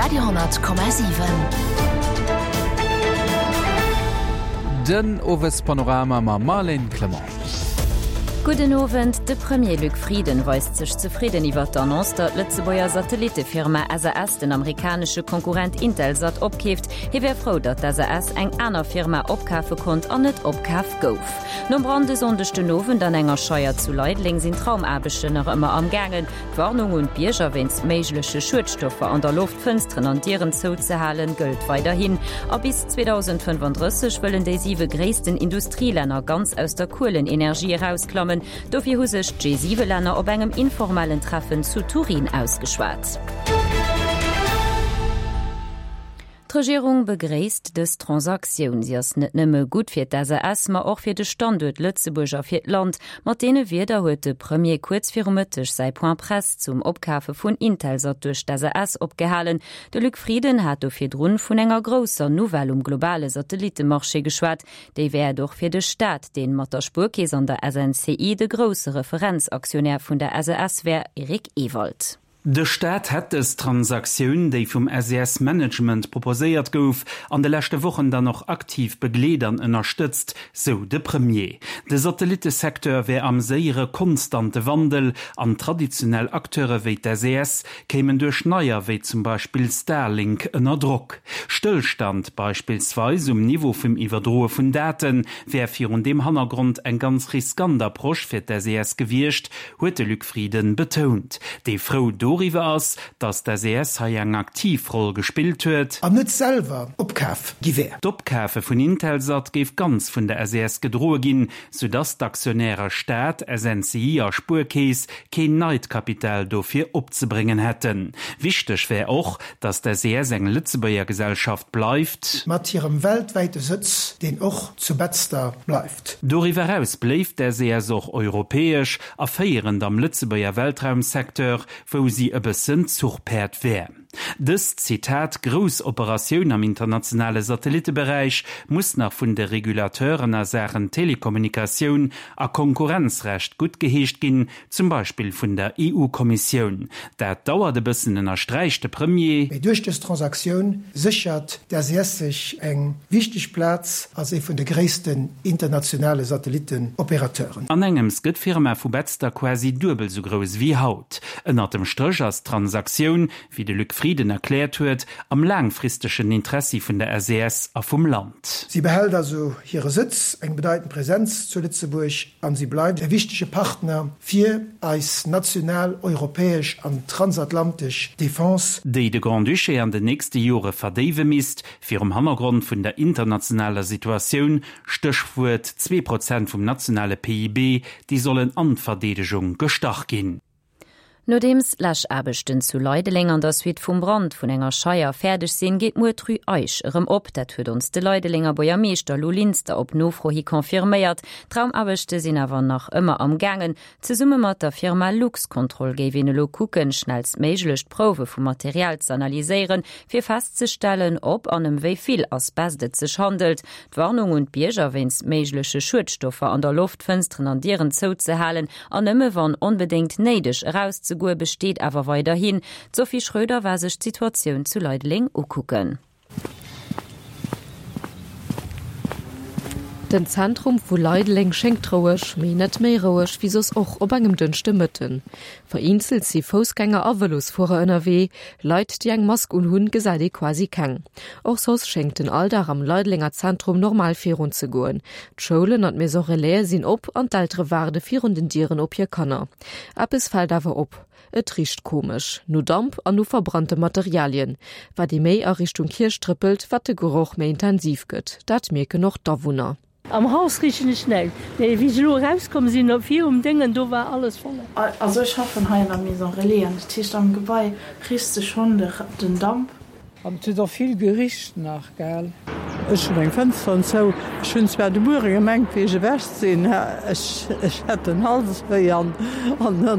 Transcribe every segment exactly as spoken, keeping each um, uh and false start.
Radio honnert Komma siwen. Den Owespanorama mam Marlène Clement. Gudden Owend, De Premier Luc Frieden weist sech zefridden iwwer d'Annonce, datt d'Lëtzebuerger Satellittefirma S A S den amerikanesche Konkurrent Intelsat opkeeft. Hie wär frou, datt d'S A S eng aner Firma opkafe konnt an net opkaf gouf. Nom Brand e Sonndeg den Owend an enger Scheier zu Leideleng sinn d'Raumaarbechten nach ëmmer am gaangen. D'Warnung un d'Bierger wéinst méigleche Schuedstoffer an der Loft, Fënsteren an Dieren zouzehalen, gëllt weiderhin. A bis zweedausendfënfandrësseg wëllen déi siwe gréissten Industrielänner ganz aus der Kuelenenergie erausklammen. Dofir hu sech d'G siwe Länner op engem informellen Treffen zu Turin ausgeschwat. D'Regierung begréisst dës Transaktioun. Si ass net nëmme gutt fir d'S A S, ma och fir de Standuert Lëtzebuerg a fir d'Land. Mat deene Wierder huet de Premier kuerz viru Mëtteg säi Point Presse zum Opkafe vun Intelsat duerch d'S A S opgehalen. De Luc Frieden hat do virdrun vun enger grousser Nouvelle um globale Satellittemarché geschwat. Déi wär et och fir de Staat, deen mat der Spuerkeess an der S N C I de grousse Referenzaktionär vun der S A S wär, Eric Ewald. De Staat hätt dës Transaktioun, déi vum S E S-Management proposéiert gouf, an de leschte Wochen dann och aktiv begleet an ënnerstëtzt, sou de Premier. De Satellittesecteur wär am séiere konstante Wandel an traditionell Acteure wéi d'S E S kéimen duerch neier wéi zum Beispill Starlink ënner Drock. Stëllstand beispillsweis um Niveau vum Iwwerdroe vun Date wär virun deem Hannergrond eng ganz riskant Approche fir d'S E S gewiescht, huet de Luc Frieden betount, dee frou doriwwer ass, datt d'S E S hei eng aktiv Roll gespillt huet. An net selwer opkaf gi wär. D'Opkafe vun Intelsat géif ganz vun der S E S gedroe ginn, soudatt d'Aktionäre Staat, S N C I a Spuerkeess keen neit Kapital dofir opzebréngen hätten. Wichteg wär och, datt d'S E S eng Lëtzebuerger Gesellschaft bleift. Mat hirem weltwäite Sëtz, deen och zu Betzder bleift. Doriwwer eraus bléift d'S E S och europäesch a féierend am Lëtzebuerger Weltraumsecteur, wou si e bëssen Zuchpäerd wär. Dës Zitat grouss Operatioun am internationale Satellitteberäich muss nach vun de Regulateuren a Saachen Telekommunikatioun a Konkurrenzrecht guttgeheescht ginn, zum Beispill vun der E U-Kommissioun. Dat dauert e bëssen, ënnersträicht de Premier. Mee duerch dës Transaktioun séchert d'S E S sech eng wichteg Plaz als ee vun de gréissten internationale Satellittenopérateuren. An engems gëtt d'Firma vu Betzder quasi duebel sou grouss wéi haut. Ënnert dem Stréch ass d'Transaktioun, wéi de Luc Frieden erkläert huet, am laangfristegen Interessi vun der S E S a vum Land. Si behält also hire Sëtz, eng bedeitend Presenz zu Lëtzebuerg an si bleift e wichtege Partner fir eis national, europäesch an transatlantesch Defense. Déi de Grand-Duché an den nächste Jore verdéiwe misst, virum Hannergrond vun der internationaler Situatioun, Stéchwuert zwee Prozent vum nationale P I B, déi sollen an d'Verdeedegung gestach ginn. Nodeems d'Läschaarbechten zu Leideleng an der Suite vum Brand vun enger Scheier fäerdeg sinn, geet muer d'Rue Eisch erëm op. Dat huet ons de Leidelenger Buergermeeschter Lou Linster op Nofro hi confirméiert. D'Raumaarbechte sinn awer nach ëmmer am gaangen. Zesumme mat der Firma Luxcontrol géif een elo kucken, schnellstméiglech d'Prouwe vum Material ze analyséieren, fir festzestellen, ob an ëm wéi vill Asbest et sech handelt. D'Warnung un d'Bierger wéinst méigleche Schuedstoffer an der Loft, Fënsteren an Dieren zouzehalen an nëmme wann onbedéngt néideg erauszegoe besteet awer weiderhin. D'Sophie Schröder war sech d'Situatioun zu Leideleng ukucken. Den Zentrum vu Leideleng schéngt roueg, mee net méi roueg wéi soss och op engem Dënschdemëtten. Vereenzelt si Foussgänger a Vëlosfuerer ënnerwee, Leit déi eng Mask unhunn, gesäit ee quasi keng. Och soss schéngt den Alldag am Leidelenger Zentrum normal virunzegoen. D'Schoulen an d'Maison Relais sinn op an d'Eltere waarde virun den Dieren op hir Kanner. Eppes fält awer op. Et richt komesch, no Damp an no verbrannte Materialien. Wat ee méi a Richtung Kierch trëppelt, wat de Geroch méi intensiv gëtt. Dat mierken och d'Awunner. Am Haus richen ech näischt. Nee, wéi ech elo erauskomm sinn, virum Déngen, do war alles voll. Also ech schaffen hei an der Maison Relais an dat heescht am Gebai riechs de schonn den Damp. An et huet och vill gericht nach, gell? Ech hunn meng Fënsteren zou. Ech hunn zwar de Muere gemengt, wéi ech ewech sinn, ech hätt den Hals wéi an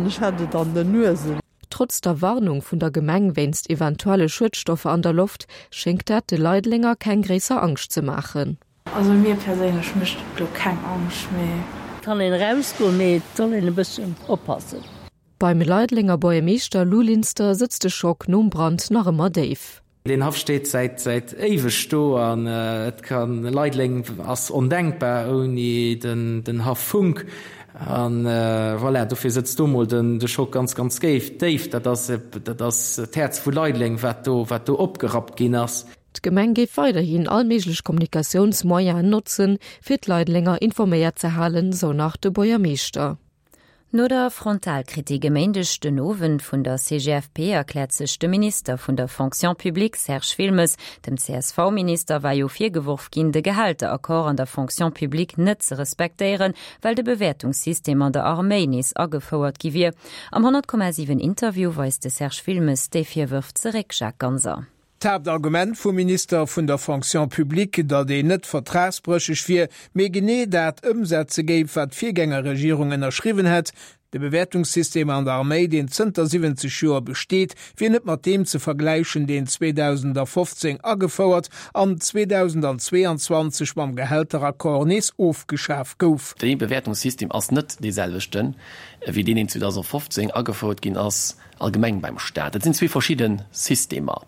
ech hätt et an den Nuesen. Trotz der Warnung vun der Gemeng wéinst eventuelle Schuedstoffer an der Loft schéngt dat de Leidelenger keng gréisser Angscht ze maachen. Also mir perséinlech mécht et lo keng Angscht, mee. Kann een erausgoen, mee et soll een e bëssen oppassen. Beim Leidelenger Buergermeeschter Lou Linster sëtzt de Schock nom Brand nach ëmmer déif. Deen Haff steet säit säit éiweg do an et kann, Leideleng ass ondenkbar ouni den den Haff Funck. An voilà, dofir sëtzt do mol den de Schock ganz ganz géif déif. Dat ass dat ass d'Häerz vu Leideleng wat do wat do opgerappt ginn ass. D'Gemeng géif weiderhin all méiglech Kommunikatiounsmoyenen notzen, fir d'Leidelenger informéiert ze halen, sou nach de Buergermeeschter. No der Frontalkritik e Méindeg den Owend vun der C G F P erkläert sech de Minister vun der Fonction publique Serge Wilmes. Dem C S V-Minister war jo virgeworf ginn, de Gehälteraccord an der Fonction publique net ze respektéieren, well de Bewäertungssystem an der Arméi nees agefouert gi wier. Am honnert Komma siwen Interview weist de Serge Wilmes déi Virwërf zeréck. Jacques Ganser. D'Haaptargument vum Minister vun der Fonction publique, datt een net vertragsbrécheg wier, mee genee dat ëmsetze géif, wat d'Virgängerregierung ënnerschriwwen hätt. De Bewäertungssystem an der Arméi, deen zënter siwwenzeg Joer besteet, wier net mat deem ze vergläichen, deen zweedausendafofzéng agefouert an zweedausendzweeanzwanzeg mam Gehälteraccord nees ofgeschaf gouf. Dee Bewäertungssystem ass net dee selwechten, wéi deen, deen zweedausendfofzéng agefouert ginn ass allgemeng beim Staat. Dat sinn zwee verschidde Systemer.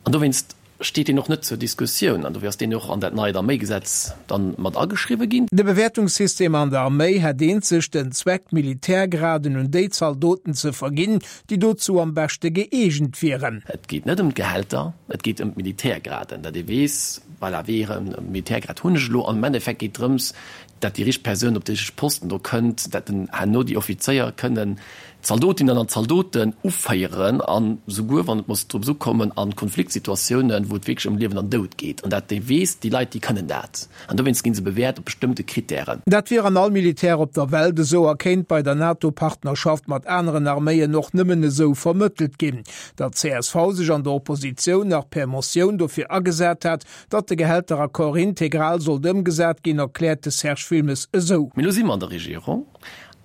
An dowéinst steet deen och net zur Diskussioun an dofir ass deen och an dat neit Arméigesetz dann mat ageschriwwe ginn. De Bewäertungssystem an der Arméi hätt eenzeg den Zweck, Militärgraden un déi Zaldoten ze verginn, déi dozou am beschte gëeegent wieren. Et geet net ëm d'Gehälter, et geet ëm d'Militärgraden, datt ee weess, voilà, wéi ee Militärgrad hunn ech elo. An am Endeffekt geet drëms, datt déi richteg Persoun op de richtege Posten do kënnt, datt den herno déi Offizéier kënnen d'Zaldotinnen an d'Zaldoten uféieren an souguer, wann et muss drop ukommen, a Konfliktsituatiounen, wou et wierklech ëm Liewen an Doud geet, an datt ee weess, déi Leit, déi kënnen dat. An dowéinst gi se bewäert op bestëmmte Krittären. Dat wier an all Militär op der Welt esou a kéint bei der NATO-Partnerschaft mat aneren Arméien och nëmmen esou vermëttelt ginn. Datt d'C S V sech an der Oppositioun nach per Motioun dofir agesat hat, datt de Gehälteraccord integral sollt ëmgesat ginn, erkläert de Serge Wilmes esou. Mee elo si mer an der Regierung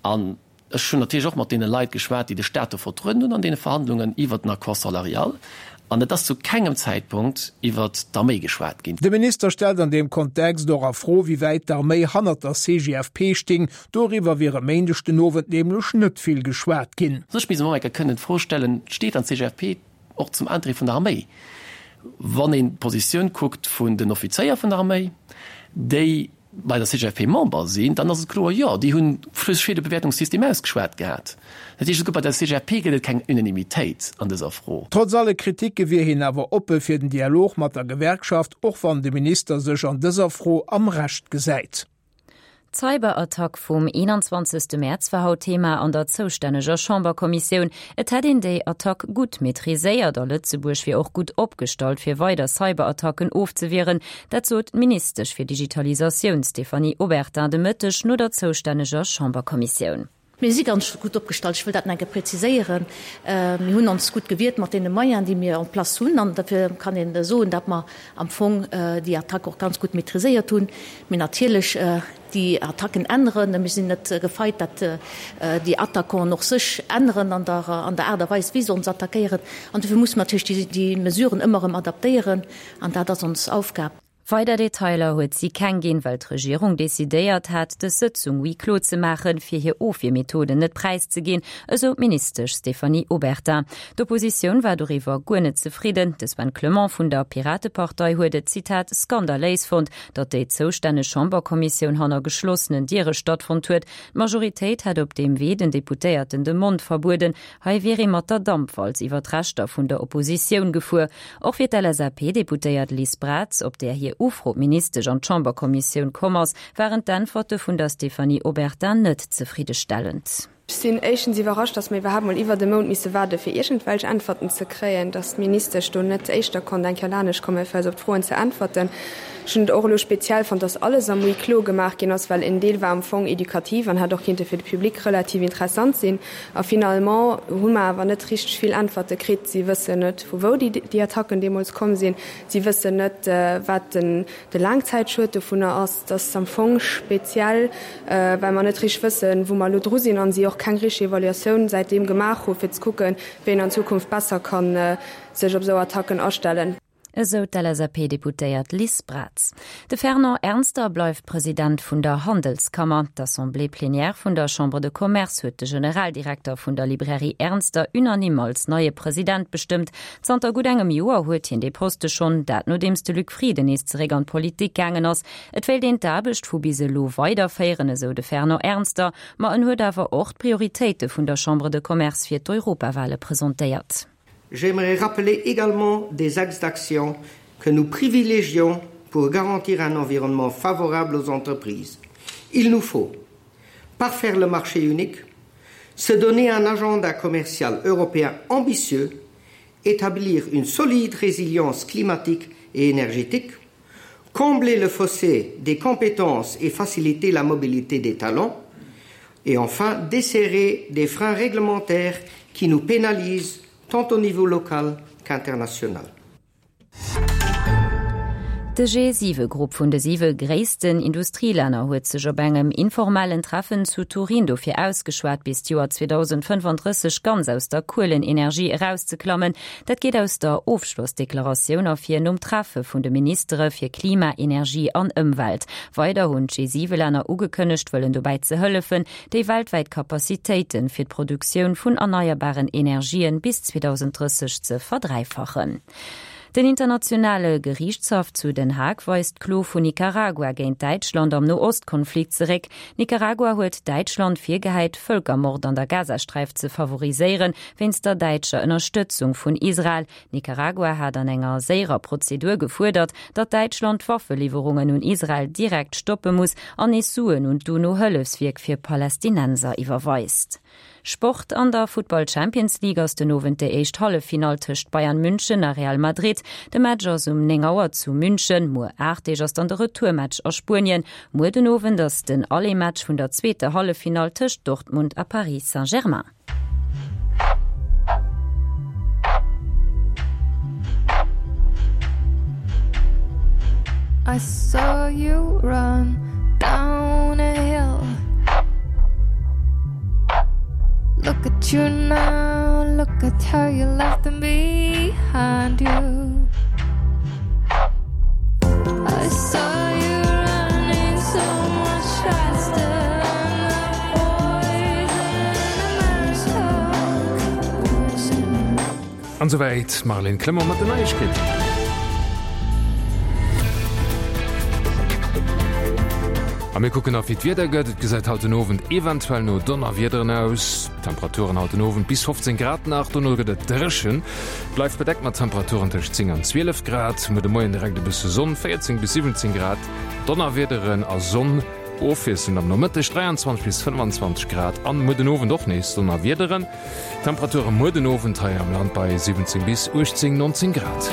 an ech hunn natierlech och mat deene Leit geschwat, déi de Staat do vertrueden hunn an deene Verhandlungen iwwert den Accord salarial. An et ass zu kengem Zäitpunkt iwwert d'Arméi geschwat ginn. De Minister stellt an deem Kontext och a Fro, wéi wäit d'Arméi hannert der C G F P sting. Doriwwer wier e Méindeg den Owend nämlech net vill geschwat ginn. Ech misst mer eng Kéier kënnen d'Fro stellen, Steet dann d'C G F P och zum Interêt vun der Arméi? Wann een d'Positioun kuckt vun den Offizéier vun der Arméi, déi bei der C G F P Member sinn, dann ass et kloer, jo, déi hunn sech fir de Bewäertungssystem ausgeschwat gehat. Dat heescht, esouguer bei der C G F P gëtt et keng Unanimitéit an dëser Fro. Trotz alle Kriticke wier hien awer oppe fir den Dialog mat der Gewerkschaft, och wann de Minister sech an dëser Fro am Recht gesäit. D'Cyberattack vum eenanzwanzegste Mäerz war haut Thema an der zoustänneger Chamberkommissioun. Et hätt een déi Attack gutt maîtriséiert a Lëtzebuerg wier och gutt opgestallt fir weider Cyberattacken ofzewieren. Dat sot d'Ministesch fir Digitalisatioun Stéphanie Obertin de Mëtteg no der zoustänneger Chamberkommissioun. Mir si ganz gutt opgestallt, ech wëll dat nach eng Kéier präziséieren. Mir hunn ons gutt gewiert mat deene Moyenen, déi mir en place hunn. An dofir kann een soen, datt mer am Fong déi Attack och ganz gutt maîtriséiert hunn. Mee natierlech, déi Attacken änneren. Mir sinn net gefeit, datt déi Attaquanten och sech änneren an der an der Aart a Weis, wéi se ons attackéieren. An dofir musse mer natierlech déi Mesuren ëmmer erëm adaptéieren. An dat ass ons Aufgab. Weider Detailer huet si keng ginn, well d'Regierung decidéiert hat, dës Sëtzung huis clos ze maachen, fir hir Ofwiermethoden net präiszeginn, esou d'Ministesch Stéphanie Obertin. D'Oppositioun war doriwwer guer net zefridden. De Sven Clement vun der Piratepartei huet et, Zitat, skandaléis fonnt, datt déi zoustänneg Chamberkommissioun hanner geschlossenen Diere stattfonnt huet. D'Majoritéit hätt op deem Wee den Deputéierten de Mond verbueden. Hei wier ee mat der Dampwalz iwwer d'Rechter vun der Oppositioun gefuer. Och fir d'L S A P-Deputéiert Liz Braz, op där hir Ufro d'Ministesch an d'Chamberkommissioun komm ass, waren d'Äntwerte vun der Stéphanie Obertin net zefriddestellend. Ech sinn éischtens iwwerrascht, datt mir iwwerhaapt mol iwwert e Mount misse waarde fir iergendwelch Äntwerten ze kréien, datt d'Ministesch do net éischter konnt eng Kéier lanescht kommen, fir eis op d'Froen ze äntwerten. Ech hunn et och elo speziell fonnt, datt alles am Huis clos gemaach ginn ass, well en Deel war am Fong edukativ an hätt och kinnte fir de Public relativ interessant sinn. A finalement hu mer awer net richteg vill Äntwerte kritt. Si wëssen net, vu wou déi, déi Attacken deemools komm sinn. Si wëssen net, wat den, de Laangzäitschued dovunner ass. Dat ass am Fong speziell, well mer net richteg wëssen, wou mer elo dru sinn an si och keng richteg Evaluatioun säitdeem gemaach hu fir ze kucken, wéi een an Zukunft besser kann sech op esou Attacken astellen. Esou d'LSAP-Deputéiert Liz Braz. De Fernand Ernster bleift President vun der Handelskammer. D'Assemblée plénière vun der Chambre de Commerce huet de Generaldirekter vun der Librairie Ernster unanime als neie President bestëmmt. Zanter gutt engem Joer huet hien dee Poste schonn, dat nodeems de Luc Frieden nees zeréck an d'Politik gaangen ass. Et wéilt een d'Aarbecht vu bis elo weiderféieren, esou de Fernand Ernster. Ma en huet awer och d'Prioritéite vun der Chambre de Commerce fir d'Europawale presentéiert. J'aimerais rappeler également des axes d'action que nous privilégions pour garantir un environnement favorable aux entreprises. Il nous faut parfaire le marché unique, se donner un agenda commercial européen ambitieux, établir une solide résilience climatique et énergétique, combler le fossé des compétences et faciliter la mobilité des talents, et enfin desserrer des freins réglementaires qui nous pénalisent tant au niveau local qu'international. De G siwe Grupp vun de siwe gréissten Industrielänner huet sech op engem informellen Treffen zu Turin dofir ausgeschwat, bis d'Joer zweedausendfënfandrësseg ganz aus der Kuelenenergie erauszeklammen. Dat geet aus der Ofschlossdeklaratioun ervir nom Treffe vun de Ministere fir Klima, Energie an Ëmwelt. Weider hunn d'G siwe Länner ugekënnegt, wëllen dobäi ze hëllefen, déi weltwäit Capacitéiten fir d'Produktioun vun erneierbaren Energien bis zweedausendrësseg ze verdräifachen. Den Internationale Geriichtshaff zu Den Haag weist d'Klo vun Nicaragua géint Däitschland am No-Ost-Konflikt zeréck. Nicaragua huet Däitschland virgehäit, Vëlkermord an der Gazasträif ze favoriséieren, wéinst der däitscher Ënnerstëtzung vun Israel. Nicaragua hat an enger séierer Prozedur gefuerdert, datt Däitschland d'Waffeliwwerungen un Israel direkt stoppe muss an nees Suen un d'UNO-Hëllefswierk fir Palästinenser iwwerweist. Sport, An der Futtball Champions League ass den Owend déi éischt Halleffinall tëscht Bayern München a Real Madrid. De Match ass um néng Auer zu München. Muer aacht Deeg ass dann de Retourmatch a Spuenien. Muer den Owend ass den Aller-Match vun der zweeter Halleffinall tëscht Dortmund a Paris Saint-Germain. I saw you run down a hill. Look at you now, look at how you left them behind you. I saw you running so much faster than the boys in America. An souwäit d'Marlène Clement mat den Neiegkeeten. A mir kucken nach wéi d'Wieder gëtt. Et gesäit haut den Owend eventuell no Donnerwiederen aus. Temperaturen haut den Owend bis fofzéng Grad nach, dono gëtt et dréchen. Bleift bedeckt mat Temperaturen tëscht zéng an zwielef Grad. Muer de Moien direkt e bësse Sonn, véierzéng bis siwwenzéng Grad. Donnerwiederen a Sonn ofwiesselnd am Nomëtteg, dräianzwanzeg bis fënnefanzwanzeg Grad. An muer den Owend och nees Donnerwiederen. Temperature muer den Owend hei am Land bei siwwenzéng bis uechtzéng, nonzéng Grad.